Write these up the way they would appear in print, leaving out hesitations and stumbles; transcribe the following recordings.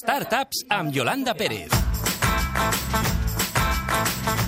Startups amb Yolanda Pérez.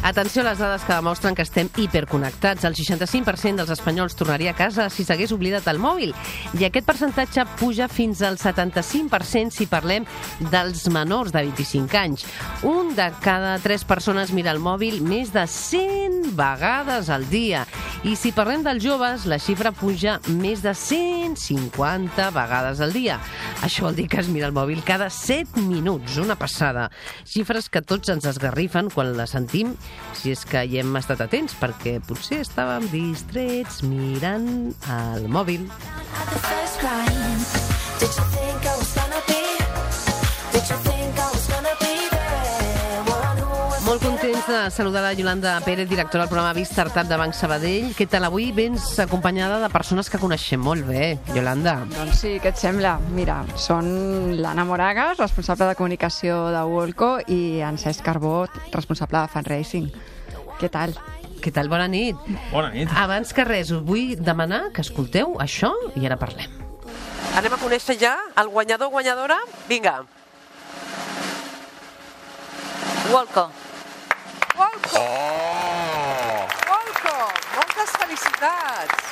Atenció a les dades que demostren que estem hiperconnectats. El 65% dels espanyols tornaria a casa si s'hagués oblidat el mòbil. I aquest percentatge puja fins al 75% si parlem dels menors de 25 anys. Un de cada 3 persones mira el mòbil més de 100 vegades al dia. I si parlem dels joves, la xifra puja més de 150 vegades al dia. Això vol dir que es mira el mòbil cada 7 minuts, una passada. Xifres que tots ens esgarrifen quan les sentim, si és que hi hem estat atents, perquè potser estàvem distrets mirant el mòbil. Molt contents de saludar la Yolanda Pérez, directora del programa Biz Startup de Banc Sabadell. Què tal avui? Vens acompanyada de persones que coneixem molt bé, Yolanda. Doncs sí, què et sembla? Mira, són l'Anna Moragas, responsable de comunicació de Wolco, i en Cesc Carbó, responsable de fundraising. Què tal? Què tal? Bona nit. Bona nit. Abans que res, us vull demanar que escolteu això i ara parlem. Anem a conèixer ja el guanyador o guanyadora? Vinga. Wolco. Wolco! Oh! Wolco! Moltes felicitats!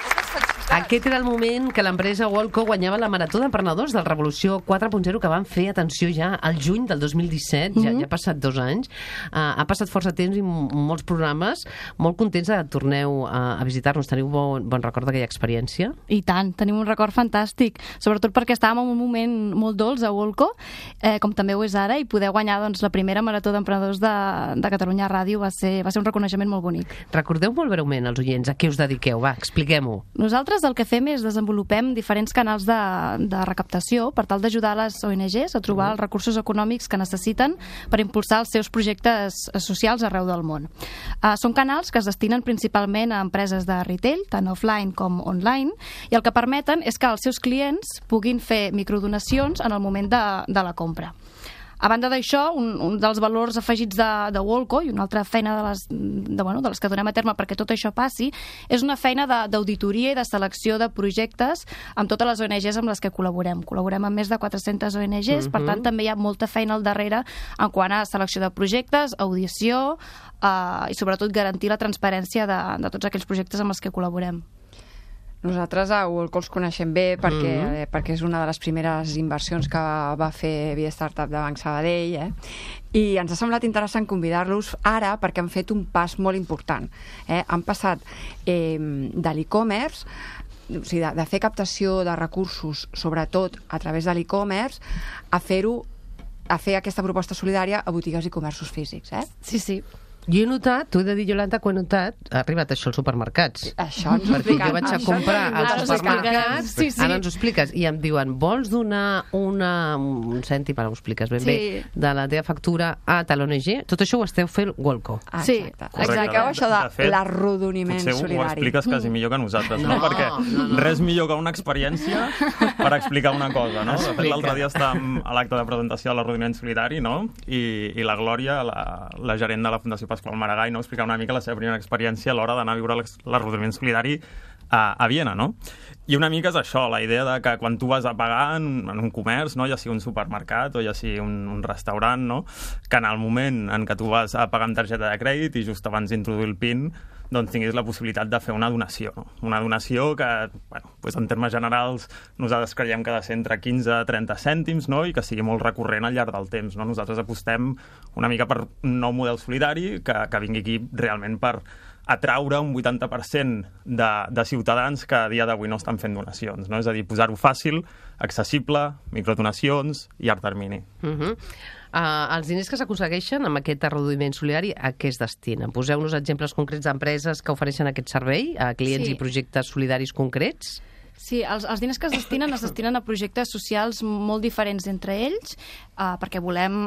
Moltes felicitats! Aquest era el moment que l'empresa Wolco guanyava la Marató d'Emprenedors del Revolució 4.0 que van fer, atenció, ja al juny del 2017, ja ha passat 2 anys. Ha passat força temps i molts programes. Molt contents que torneu a visitar-nos. Teniu bon record d'aquella experiència? I tant, tenim un record fantàstic, sobretot perquè estàvem en un moment molt dolç a Wolco, com també ho és ara, i poder guanyar la primera Marató d'Emprenedors de Catalunya Ràdio va ser un reconeixement molt bonic. Recordeu molt breument als oients a què us dediqueu, va, expliquem-ho. Nosaltres el que fem és desenvolupem diferents canals de recaptació per tal d'ajudar les ONGs a trobar els recursos econòmics que necessiten per impulsar els seus projectes socials arreu del món. Són canals que es destinen principalment a empreses de retail, tant offline com online, i el que permeten és que els seus clients puguin fer microdonacions en el moment de la compra. A banda d'això, un dels valors afegits de Wolco i una altra feina de les que donem a terme perquè tot això passi és una feina d'auditoria i de selecció de projectes amb totes les ONGs amb les que col·laborem. Col·laborem amb més de 400 ONGs, per tant també hi ha molta feina al darrere en quant a selecció de projectes, audició i sobretot garantir la transparència de tots aquells projectes amb els que col·laborem. Nosaltres a Wolco els coneixem bé perquè és una de les primeres inversions que va fer Via Startup de Banc Sabadell, i ens ha semblat interessant convidar-los ara perquè han fet un pas molt important. Han passat de l'e-commerce, o sigui, de fer captació de recursos, sobretot a través de l'e-commerce, a fer aquesta proposta solidària a botigues i comerços físics. Sí, sí. Jo he notat, t'ho he de dir, Yolanda, que ho he notat, ha arribat això als supermercats. Això ens ho perquè jo vaig a comprar als supermercats, sí. Ara ens ho expliques, i em diuen, vols donar un cèntim, ara ho expliques ben bé, de la teva factura a tal ONG? Tot això ho esteu fent Wolco. Sí, expliqueu això de l'arrodoniment solidari. Potser ho expliques quasi millor que nosaltres, no? Perquè res millor que una experiència per explicar una cosa, no? De fet, l'altre dia estàvem a l'acte de presentació de l'arrodoniment solidari, no? I la Glòria, la gerent de la Fundació Pasqual Maragall, no? Explicar una mica la seva primera experiència a l'hora d'anar a viure l'arrodoniment solidari a Viena, no? I una mica és això, la idea de que quan tu vas a pagar en un comerç, no? Ja sigui un supermercat o ja sigui un restaurant, no? Que en el moment en què tu vas a pagar amb targeta de crèdit i just abans d'introduir el PIN, doncs tinguis la possibilitat de fer una donació. No? Una donació que, bueno, doncs en termes generals, nosaltres creiem que ha de ser entre 15 i 30 cèntims, no? I que sigui molt recurrent al llarg del temps. No? Nosaltres apostem una mica per un nou model solidari que vingui aquí realment per atraure un 80% de ciutadans que a dia d'avui no estan fent donacions. No? És a dir, posar-ho fàcil, accessible, microdonacions i llarg termini. Els diners que s'aconsegueixen amb aquest arrodoniment solidari, a què es destinen? Poseu-nos exemples concrets d'empreses que ofereixen aquest servei a clients i projectes solidaris concrets? Sí, els diners que es destinen a projectes socials molt diferents entre ells, perquè volem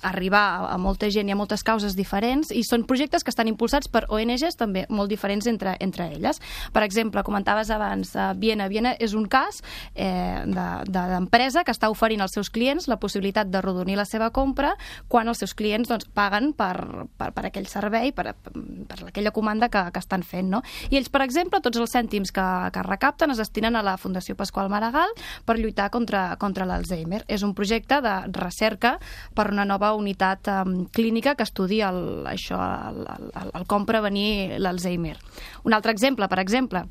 arribar a molta gent i a moltes causes diferents, i són projectes que estan impulsats per ONGs també molt diferents entre elles. Per exemple, comentaves abans, Viena és un cas d'empresa que està oferint als seus clients la possibilitat d'arrodonir la seva compra quan els seus clients paguen per aquell servei, per per aquella comanda que estan fent, no? I ells, per exemple, tots els cèntims que recapten es destinen a la Fundació Pasqual Maragall per lluitar contra l'Alzheimer. És un projecte de recerca per una nova unitat clínica que estudia com prevenir l'Alzheimer. Un altre exemple, per exemple,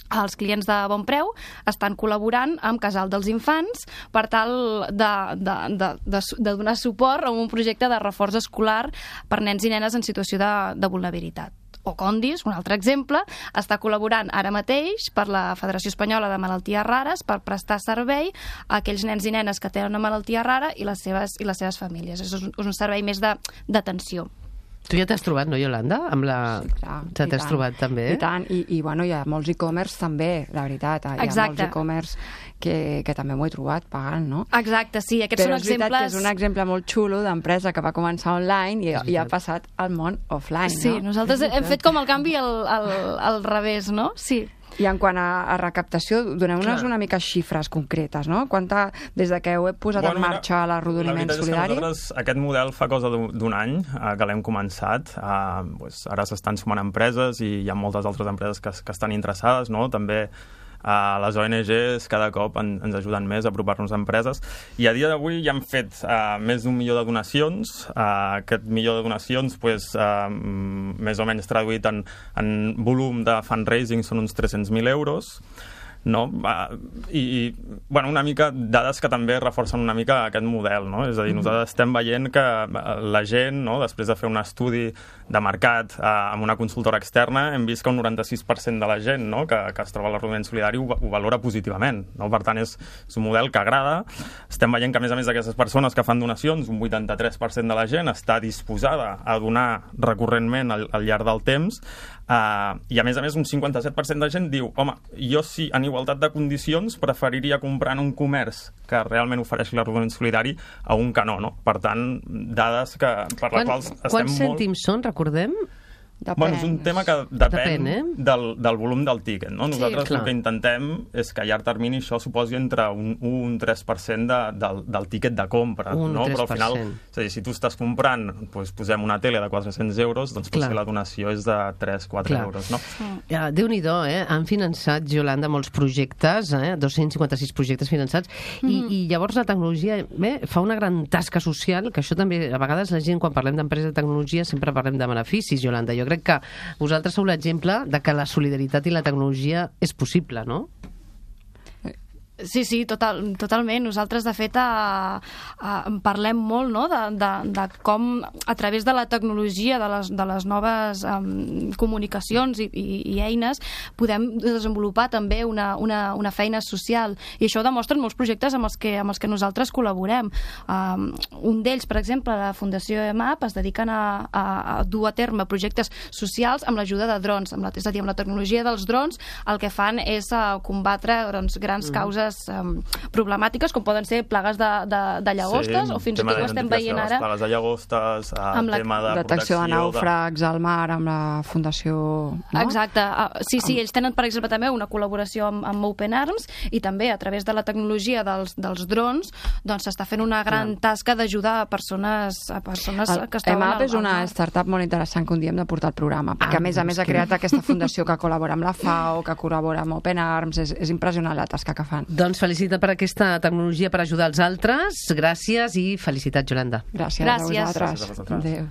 els clients de Bon Preu estan col·laborant amb Casal dels Infants per tal de donar suport a un projecte de reforç escolar per nens i nenes en situació de vulnerabilitat. O Condis, un altre exemple, està col·laborant ara mateix per la Federació Espanyola de Malalties Rares per prestar servei a aquells nens i nenes que tenen una malaltia rara i les seves famílies. És un servei més d'atenció. Tu ja t'has trobat, no, Iolanda? Sí, clar. Ja t'has trobat, també? I tant, i bueno, hi ha molts e-commerce també, la veritat. Hi ha molts e-commerce que també m'ho he trobat pagant, no? Exacte, sí, aquests són exemples... Però és veritat que és un exemple molt xulo d'empresa que va començar online i ha passat al món offline, no? Sí, nosaltres hem fet com el canvi al revés, no? Sí. I en quant a recaptació, doneu-nos una mica xifres concretes, no? Des de que heu posat en marxa l'arrodoniment solidari? La veritat és que aquest model fa cosa d'un any que l'hem començat. Ara s'estan sumant empreses i hi ha moltes altres empreses que estan interessades, no? També les ONGs cada cop ens ajuden més a apropar-nos a empreses i a dia d'avui ja hem fet més d'1 milió de donacions. Aquest milió de donacions, més o menys traduït en volum de fundraising, són uns 300.000 euros. No? Una mica dades que també reforcen una mica aquest model, no? És a dir, nosaltres estem veient que la gent, no, després de fer un estudi de mercat amb una consultora externa, hem vist que un 96% de la gent, no, que es troba a l'arrodoniment solidari ho valora positivament, no? Per tant, és un model que agrada. Estem veient que, a més d'aquestes persones que fan donacions, un 83% de la gent està disposada a donar recurrentment al llarg del temps. I a més, un 57% de gent diu, home, jo sí, en igualtat de condicions, preferiria comprar en un comerç que realment ofereixi l'arrodoniment solidari a un que no? Per tant, dades per les quals estem molt... Quants cèntims són, recordem? És un tema que depèn del volum del tíquet, no? Nosaltres el que intentem és que a llarg termini això suposi entre un 1 i un 3% del tíquet de compra, no? Però al final, és a dir, si tu estàs comprant, posem una tele de 400 euros, doncs potser la donació és de 3-4 euros, no? Déu-n'hi-do, han finançat, Iolanda, molts projectes, 256 projectes finançats, i llavors la tecnologia fa una gran tasca social, que això també, a vegades la gent, quan parlem d'empresa de tecnologia, sempre parlem de beneficis, Iolanda. Jo crec que vosaltres sou l'exemple de que la solidaritat i la tecnologia és possible, no? Sí, totalment. Nosaltres, de fet, parlem molt, no?, de com, a través de la tecnologia, de les noves comunicacions i eines, podem desenvolupar també una feina social. I això ho demostren molts projectes amb els que nosaltres col·laborem. Un d'ells, per exemple, la Fundació EMAP, es dediquen a dur a terme projectes socials amb l'ajuda de drons. És a dir, amb la tecnologia dels drons, el que fan és combatre grans causes problemàtiques, com poden ser plagues de llagostes, o fins i tot ho estem veient ara... Plagues de llagostes, tema de detecció de nàufrags al mar amb la Fundació... No? Exacte. Sí, ells tenen, per exemple, també una col·laboració amb Open Arms i també a través de la tecnologia dels drons doncs s'està fent una gran tasca d'ajudar a persones que estaven... EMAP és una startup molt interessant que un dia hem de portar al programa, perquè a més ha creat aquesta fundació que col·labora amb la FAO, que col·labora amb Open Arms, és impressionant la tasca que fan. Doncs felicitat per aquesta tecnologia per ajudar els altres. Gràcies i felicitats, Iolanda. Gràcies a vosaltres. Adéu.